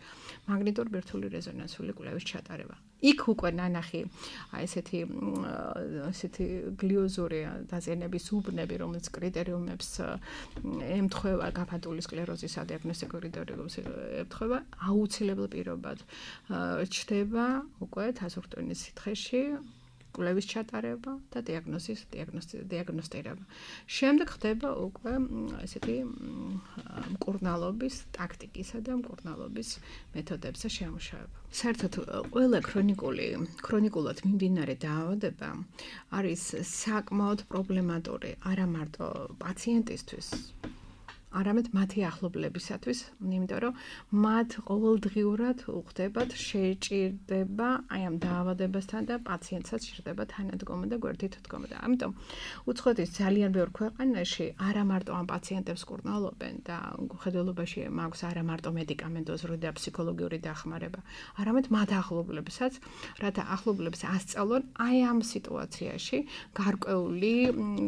მაგნიტურ ბირთვული რეზონანსული კვლევის ჩატარება. იქ უკვე ნანახი აი ესეთი ესეთი გლიოზური დაზიანების უბნები, რომელიც კრიტერიუმებს ემთხვევა გაფანტული სკლეროზის სადიაგნოსტიკო კრიტერიუმებს ემთხვევა, აუცილებელ პირობად ჩდება უკვე თაზურტვინის სითხეში კვლევის ჩატარება და დიაგნოზის დიაგნოსტირება. შემდეგ ხდება უკვე ესეთი მკურნალობის ტაქტიკისა და მკურნალობის მეთოდებზე შემუშავება. საერთოდ ყველა ქრონიკული ქრონიკულად მიმდინარე დაავადება არის საკმაოდ პრობლემატური არა მარტო პაციენტისთვის, არამედ მათი ახლობლებისათვის, იმიტომ რომ მათ ყოველდღიურად უხდებათ შეჭირდება აი ამ დაავადებასთან და პაციენტსაც ჭირდება თანადგომა და გვერდით დგომა. ამიტომ უცხოეთის ძალიან ბევრ ქვეყანაში არა მარტო ამ პაციენტებს კურნალობენ და მხედველობაში მაქვს არა მარტო მედიკამენტოზური და ფსიქოლოგიური დახმარება, არამედ მათ ახლობლებსაც, რათა ახლობლებს ასწავლონ აი ამ სიტუაციაში გარკვეული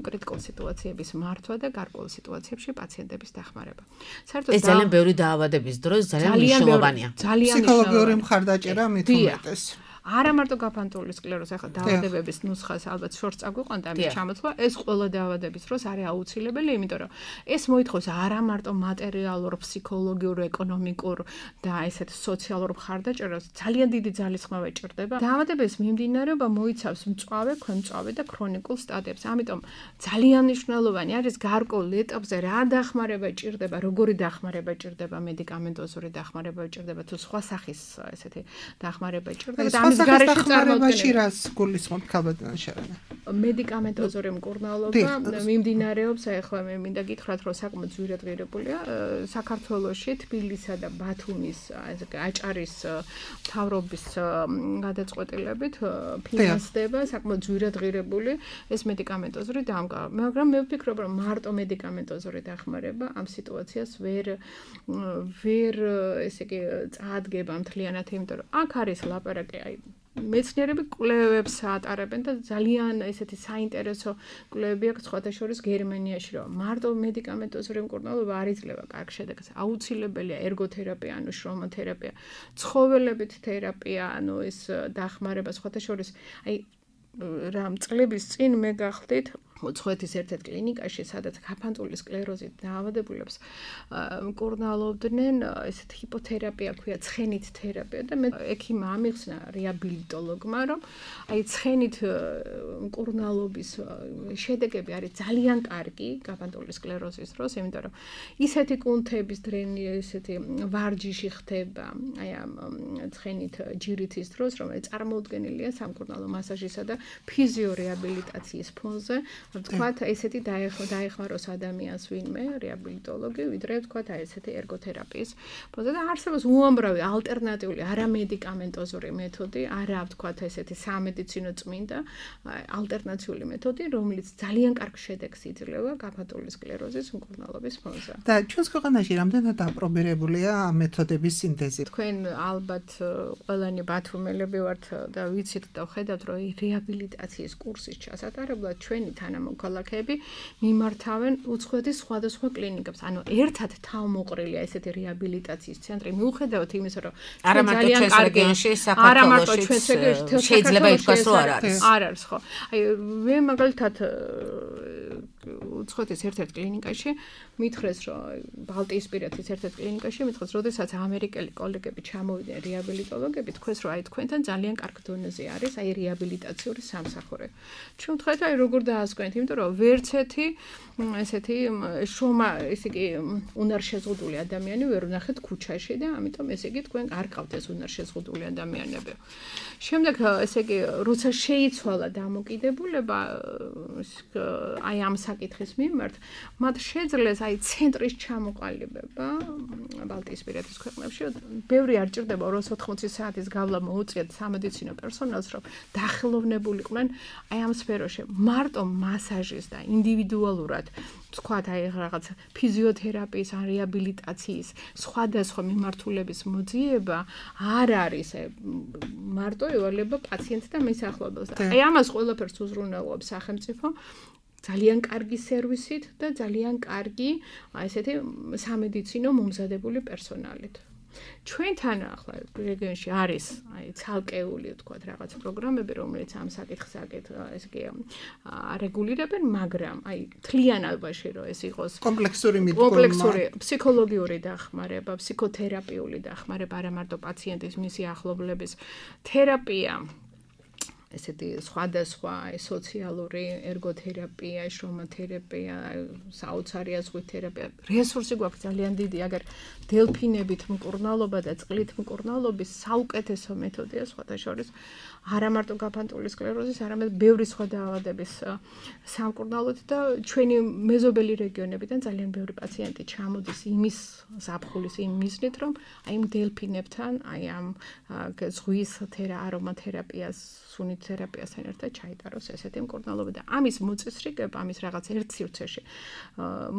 კრიტიკულ სიტუაციების მართვა და გარკვეულ სიტუაციებში პაციენტების დახმარება. საერთოდ ეს ძალიან ბევრი დაავადების დროს ძალიან მნიშვნელოვანია. ფსიქოლოგიური მხარდაჭერა მით უმეტეს. არა მარტო გაფანტული სკლეროზი, ახლა დაავადებების ნუსხას ალბათ შორს წაგვიყვანდა ამის ჩამოთვლა, ეს ყველა დაავადების დროს არის აუცილებელი, იმიტომ რომ ეს მოითხოვს არა მარტო მატერიალურ, ფსიქოლოგიურ, ეკონომიკურ და ესეთ სოციალურ მხარდაჭერას, ძალიან დიდი ძალისხმევა ჭირდება. დაავადების მიმდინარეობა მოიცავს მწვავე, ქვემწვავე და ქრონიკულ სტადიებს. ამიტომ ძალიან მნიშვნელოვანი არის გარკვეულ ეტაპზე რა დახმარება ჭირდება, როგორი დახმარება ჭირდება, მედიკამენტოზური დახმარება ჭირდება თუ სხვა სახის ესეთი დახმარება ჭირდება. გარეშე წარმოქმნილი რას გულისხმობ ქალბატონ შერანა მედიკამენტოზური მკურნალობა მიმდინარეობს ახლა მე მინდა გითხრათ რომ საკმაოდ ძვირადღირებულია საქართველოში თბილისსა და ბათუმის აჭარის მთავრობის გადაწყვეტილებით ფინანსდება საკმაოდ ძვირადღირებული ეს მედიკამენტოზური დამკა მაგრამ მე ვფიქრობ რომ მარტო მედიკამენტოზური დახმარება ამ სიტუაციას ვერ ვერ ესე იგი წაადგება მთლიანად იმიტომ რომ აქ არის ლაპარაკი აი მეცნიერები კვლევებს ატარებენ და ძალიან ესეთი საინტერესო კვლევები აქვს სხვათა შორის გერმანიაში რომ მარტო მედიკამენტოზური მკურნალობა არ იძლევა კარგ შედეგს აუცილებელია ერგოთერაპია ანუ შრომათერაპია ცხოველებით თერაპია ანუ ეს დახმარება სხვათა შორის აი რამ წლების წინ მე გახდით უცხოეთის ერთ-ერთ კლინიკაში, სადაც გაფანტული სკლეროზით დაავადებულებს მკურნალობდნენ, ესეთ ჰიპოთერაპია ქვია, ცხენით თერაპია და მე ექიმმა ამიხსნა რეაბილიტოლოგმა, რომ აი ცხენით მკურნალობის შედეგები არის ძალიან კარგი გაფანტული სკლეროზის დროს, იმიტომ რომ ისეთი კუნთების დრენი, ესეთი ვარჯიში ხდება, აი ამ ცხენით ჯირითის დროს, რომელიც წარმოუდგენელია სამკურნალო მასაჟისა და ფიზიორეაბილიტაციის ფონზე. Თქვათ ესეთი დაეხმაროს ადამიანს ვინმე რეაბილიტოლოგი, ვიდრე თქვათ აი ესეთი ერგოთერაპიის ფონზე და არსებობს უამრავი ალტერნატიული არამედიკამენტოზური მეთოდი, არა თქვათ ესეთი სამედიცინო წმინდა ალტერნატიული მეთოდი, რომელიც ძალიან კარგ შედეგს იძლევა გაფანტული სკლეროზის მკურნალობის ფონზე. და ჩვენს ქვეყანაში რამდენად აპრობირებულია ამ მეთოდების სინთეზი? თქვენ ალბათ ყველანი ბათუმელები ვართ და ვიცით და ხედავთ, რომ რეაბილიტაციის კურსის ჩასატარებლად ჩვენი თანამოქალაქეები მიმართავენ უცხოეთის სხვადასხვა კლინიკებს. ანუ ერთად თავმოყრილია ესეთი რეაბილიტაციის ცენტრი. მიუხედავად იმისა, რომ არა მარტო ჩვენს რეგიონში, საქართველოშიც შეიძლება ითქვას, რომ არ არის. არ არის, ხო. აი მე მაგალითად უცხოეთის ერთ-ერთ კლინიკაში მითხრეს, რომ ბალტიისპირეთის ერთ-ერთ კლინიკაში მითხრეს, როდესაც ამერიკელი კოლეგები ჩამოვიდნენ რეაბილიტოლოგები, თქვეს, რომ აი თქვენთან ძალიან კარგ დონეზე არის აი რეაბილიტაციური სამსახური. ჩვენ ვთქვათ, აი როგორ დაასკვენთ, იმიტომ რომ ვერც ერთი ესეთი შრომა, ესე იგი, უნარშეზღუდული ადამიანი ვერ ვნახეთ ქუჩაში და ამიტომ ესე იგი თქვენ არ ყავთ ეს უნარშეზღუდული ადამიანები. შემდეგ ესე იგი, როცა შეიცვალა დამოკიდებულება აი ამ საკითხის მიმართ, მათ შეძლეს აი ცენტრის ჩამოყალიბება ბალტიისპირეთის ქვეყნებში. ბევრი არ ჭირდება ორ ოცდაოთხ საათის გავლა მოუწიათ სამედიცინო პერსონალს, რომ დაახლოვნებულიყვნენ აი ამ სფეროში. მარტო მასაჟის და ინდივიდუალურად თქვათ აი რაღაც ფიზიოთერაპიის ან რეაბილიტაციის სხვადასხვა მიმართულების მოძიება არ არის მარტო ევალება პაციენტს და მის ახლობელს. აი ამას ყველაფერს უზრუნველყოფს სახელმწიფო ძალიან კარგი სერვისით და ძალიან კარგი ესეთი სამედიცინო მომზადებული პერსონალით. ჩვენთან ახლა რეგიონში არის აი ცალკეული თქვათ რაღაც პროგრამები, რომელიც ამ საკითხს ეს კი არეგულირებენ, მაგრამ აი თლიანობაში რომ ეს იყოს კომპლექსური მიდგომა, კომპლექსური ფსიქოლოგიური დახმარება, ფსიქოთერაპიული დახმარება, არა მარტო პაციენტის მისი ახლობლების თერაპია ესეთი სხვადასხვა სოციალური ერგოთერაპია, შრომათერაპია, საოცარი აზღვით თერაპია. რესურსი გვაქვს ძალიან დიდი, აგერ დელფინებით მკურნალობა და წყლით მკურნალობის საუკეთესო მეთოდია სხვათა შორის არა მარტო გაფანტული სკლეროზის, არამედ ბევრი სხვა დაავადების სამკურნალოდ და ჩვენი მეზობელი რეგიონებიდან ძალიან ბევრი პაციენტი ჩამოდის იმის ზაფხულის იმ მიზნით, რომ აი ამ დელფინებთან, აი ამ ზღვის არომათერაპიას, სუნით თერაპიასთან ერთად ჩაიტაროს ესეთი მკურნალობა და ამის მოწესრიგება, ამის რაღაც ერთ სივრცეში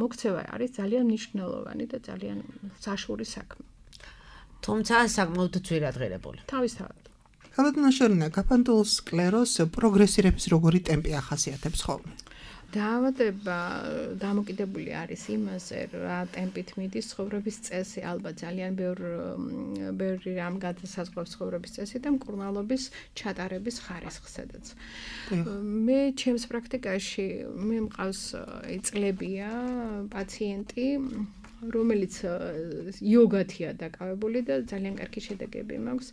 მოქცევა არის ძალიან მნიშვნელოვანი და ძალიან საშუური საქმე. თუმცა საკმაოდ ძვირადღირებული. თავისთავად. ქალბატონ შერანა, გაფანტულ სკლეროზს პროგრესირების როგორი ტემპი ახასიათებს ხოლმე? დაავადება დამოკიდებული არის იმაზე, რა ტემპით მიდის ცხოვრების წესი, ალბათ ძალიან ბევრი რამ გადასაზღვრავს ცხოვრების წესი და მკურნალობის ჩატარების ხარისხსაც. მე ჩემს პრაქტიკაში მე მყავს წლებია პაციენტი რომელიც იოგათია დაკავებული და ძალიან კარგი შედეგები მაქვს.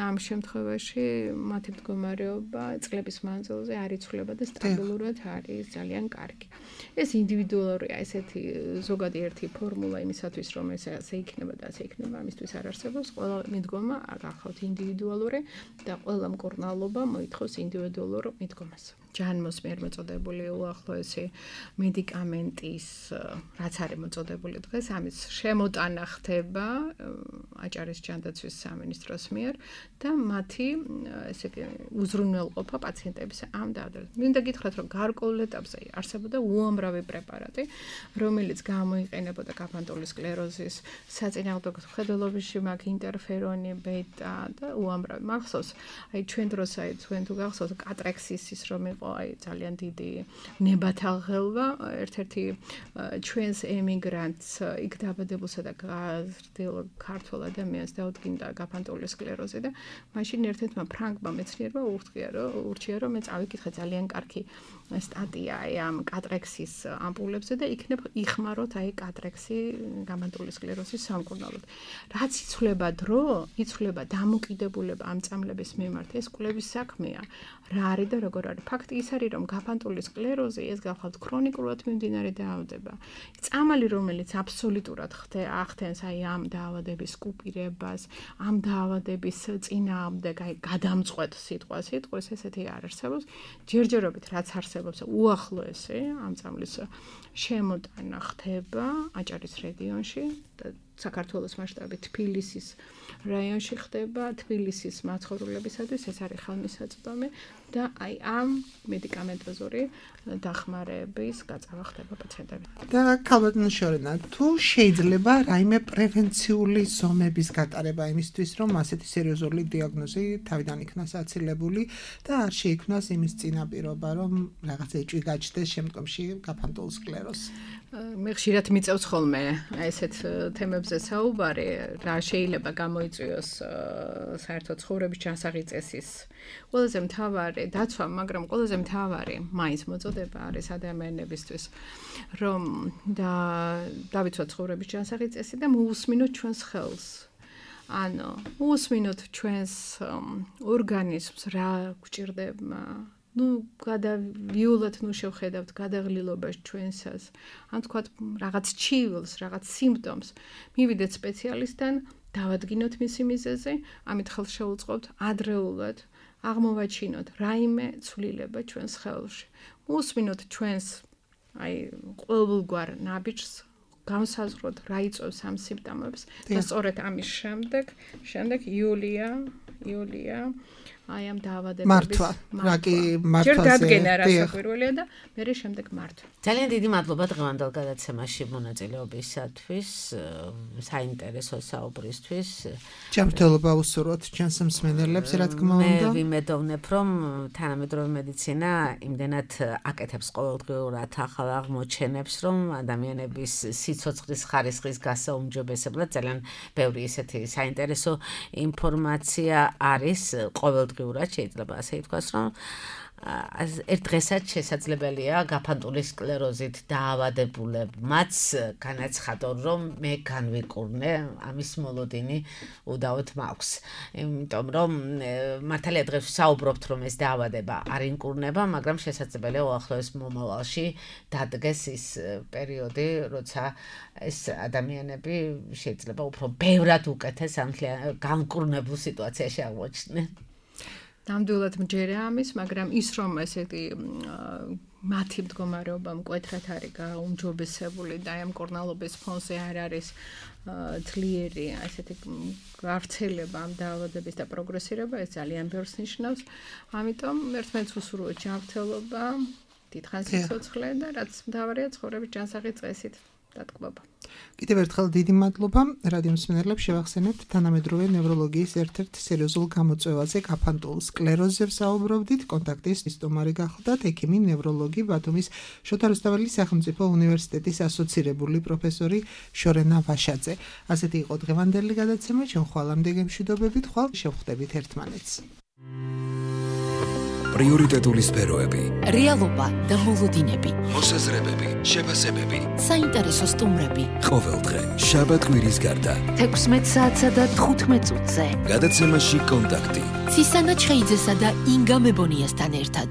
ამ შემთხვევაში მათი მდგომარეობა წლების მანძილზე არ იცვლება და სტაბილურად არის ძალიან კარგი. ეს ინდივიდუალურია, ესეთი ზოგადი ერთი ფორმულა იმისათვის, რომ ეს ასე იქნება და ასე იქნება, ამისთვის არ არსებობს. ყველა მიდგომა გახავთ ინდივიდუალური და ყველა მკურნალობა მოითხოვს ინდივიდუალურ მიდგომას. ჯანმოს მიერ მოწოდებული უახლოესი მედიკამენტის, რაც არის მოწოდებული დღეს, ამის შემოტანა ხდება აჭარის ჯანდაცვის სამინისტროს მიერ და მათი ესე იგი უზრუნველყოფა პაციენტების ამ დაავადებაზე. მინდა გითხრათ, რომ გარკვეულ ეტაპზე არსებობდა უამრავი პრეპარატი, რომელიც გამოიყენებოდა გაფანტული სკლეროზის საწინააღმდეგო მხედველობაში, მაგ ინტერფერონი, ბეტა და უამრავი. მახსოვს, აი ჩვენ დროს აი თქვენ თუ გახსოვთ კატრექსისის რომ იყო აი ძალიან დიდი ნებათაღელვა, ერთ-ერთი ჩვენს ემიგრანტს იქ დაბადებულსა და გაზრდილ ქართველ ადამიანს დაუდგინდა გაფანტული სკლეროზი და მაშინ ერთ-ერთმა ფრანგმა მეცნიერმა უღწია რომ ურჩია რომ მე წავიკითხე ძალიან კარგი სტატია აი ამ კატრექსის ამპულებზე და იქნებ იხმაროთ აი კატრექსი გაფანტული სკლეროზის სამკურნალოდ. რაც იცვლება დრო, იცვლება დამოკიდებულება ამ წამლების მიმართ, ეს კვლევის საქმეა. რა არის და როგორ არის? ფაქტი ის არის, რომ გაფანტული სკლეროზი ეს გახლავთ ქრონიკულად მიმდინარე დაავადება. წამალი, რომელიც აბსოლუტურად ახდენს აი ამ დაავადების კუპირებას, ამ დაავადების წინააღმდეგ აი გადამწყვეტ სიტყვას იტყვის, ესეთი არ არსებობს. ჯერჯერობით რაც არსებობს უახლოესი ამ წამლის შემოტანა ხდება აჭარის რეგიონში და საქართველოს მასშტაბით თბილისის რაიონში ხდება, თბილისის მაცხოვრებლებისათვის ეს არის ხელმისაწვდომი და აი ამ მედიკამენტოზური დახმარების გაწევა ხდება პაციენტებთან. და ქალბატონო შორენა, თუ შეიძლება რაიმე პრევენციული ზომების გატარება იმისთვის, რომ ასეთი სერიოზული დიაგნოზი თავიდან იქნას აცილებული და არ შეიქმნას იმის წინაპირობა, რომ რაღაც ეჭვი გაჩნდეს შემდგომში გაფანტულ სკლეროზს. მე ხშირად მიწევს ხოლმე ესეთ თემებზე საუბარი, რა შეიძლება გამოიწვიოს საერთოდ ცხოვრების ჩასაღი წესის ყველაზე მთავარი დაცვა, მაგრამ ყველაზე მთავარი მაინც მოწოდება არის ადამიანებისთვის, რომ და დავიცვათ ცხოვრების ჩასაღი წესი და მოусმინოთ ჩვენს ხელს. ანუ მოусმინოთ ჩვენს ორგანიზმს რა გვჭირდება. ნუ გადავიულოთ, ნუ შევხედავთ გადაღლილობას ჩვენსას. ან თქვათ რაღაც ჩივილს, რაღაც სიმპტომს, მივიდეთ სპეციალისტთან, დავადგინოთ მისი მიზეზი, ამით ხელს შევუწყობთ ადრეულად, აღმოვაჩინოთ რაიმე ცვლილება ჩვენს ხელში. მოусმინოთ ჩვენს აი ყოველგვარ ნაბიჯს, განსაზღვროთ რა იწვევს ამ სიმპტომებს და სწორედ ამის შემდეგ, შემდეგ იულია, იულია აი ამ დაავადების მართვა, რა კი მართვაზე. ჯერ დადგენა რა საკვირველია და მერე შემდეგ მართვა. ძალიან დიდი მადლობა დღევანდელ გადაცემაში მონაწილეობისათვის, საინტერესო საუბრისთვის. ჯანმრთელობა უსურვოთ ჩვენს მსმენელებს, რა თქმა უნდა. მე ვიმედოვნებ, რომ თანამედროვე მედიცინა იმდენად აკეთებს ყოველდღიურად ახალ აღმოჩენებს, რომ ადამიანების სიცოცხლის ხარისხის გასაუმჯობესებლად ძალიან ბევრი ისეთი საინტერესო ინფორმაცია არის ყოველდღიურად. შეიძლება ასე ითქვას, რომ ერთ დღესაც შესაძლებელია გაფანტული სკლეროზით დაავადებულებმაც განაცხადონ, რომ მე განვიკურნე, ამის მოლოდინი უდავოდ მაქვს. იმიტომ რომ მართალია დღეს საუბრობთ, რომ ეს დაავადება არ ინკურნება, მაგრამ შესაძლებელია უახლოეს მომავალში დადგეს ის პერიოდი, როცა ეს ადამიანები შეიძლება უფრო ბევრად უკეთეს ამ განკურნებულ სიტუაციაში აღმოჩნდნენ. ნამდვილად მჯერა ამის, მაგრამ ის რომ ესეთი მათი მდგომარეობა მკვეთრად არის გაუმჯობესებული და ამ კორნალობის ფონზე არ არის ძლიერი ესეთი გავრცელება ამ დაავადების და პროგრესირება, ეს ძალიან ბევრს ნიშნავს. ამიტომ ერთმანეთს უსურვოთ ჯანმრთელობა, დიდხანს სიცოცხლე და რაც მთავარია ცხოვრების ჯანსაღი წესით დატკბობა. კიდევ ერთხელ დიდი მადლობა. რადიო მსმენელებს შევახსენებთ თანამედროვე ნევროლოგიის ერთ-ერთ სერიოზულ გამოწვევაზე გაფანტულ სკლეროზზე ვსაუბრობდით. კონტაქტის სტომარი გახლდათ ექიმი ნევროლოგი ბათუმის შოთა რუსთაველის სახელმწიფო უნივერსიტეტის ასოცირებული პროფესორი შორენა ვაშაძე. ასეთი იყო დღევანდელი გადაცემა. ჩვენ ხვალამდე გემშვიდობებით, ხვალ შევხვდებით ერთმანეთს. პრიორიტეტული სფეროები, რეალობა და მოლოდინები, მოსაზრებები, შეფასებები, საინტერესო სტუმრები. ყოველდღე, შაბათ-კვირის გარდა. თექვსმეტ საათსა და თხუთმეტ წუთზე. გადაცემაში კონტაქტი. ცისანა ჩხეიძესა და ინგა მებონიასთან ერთად.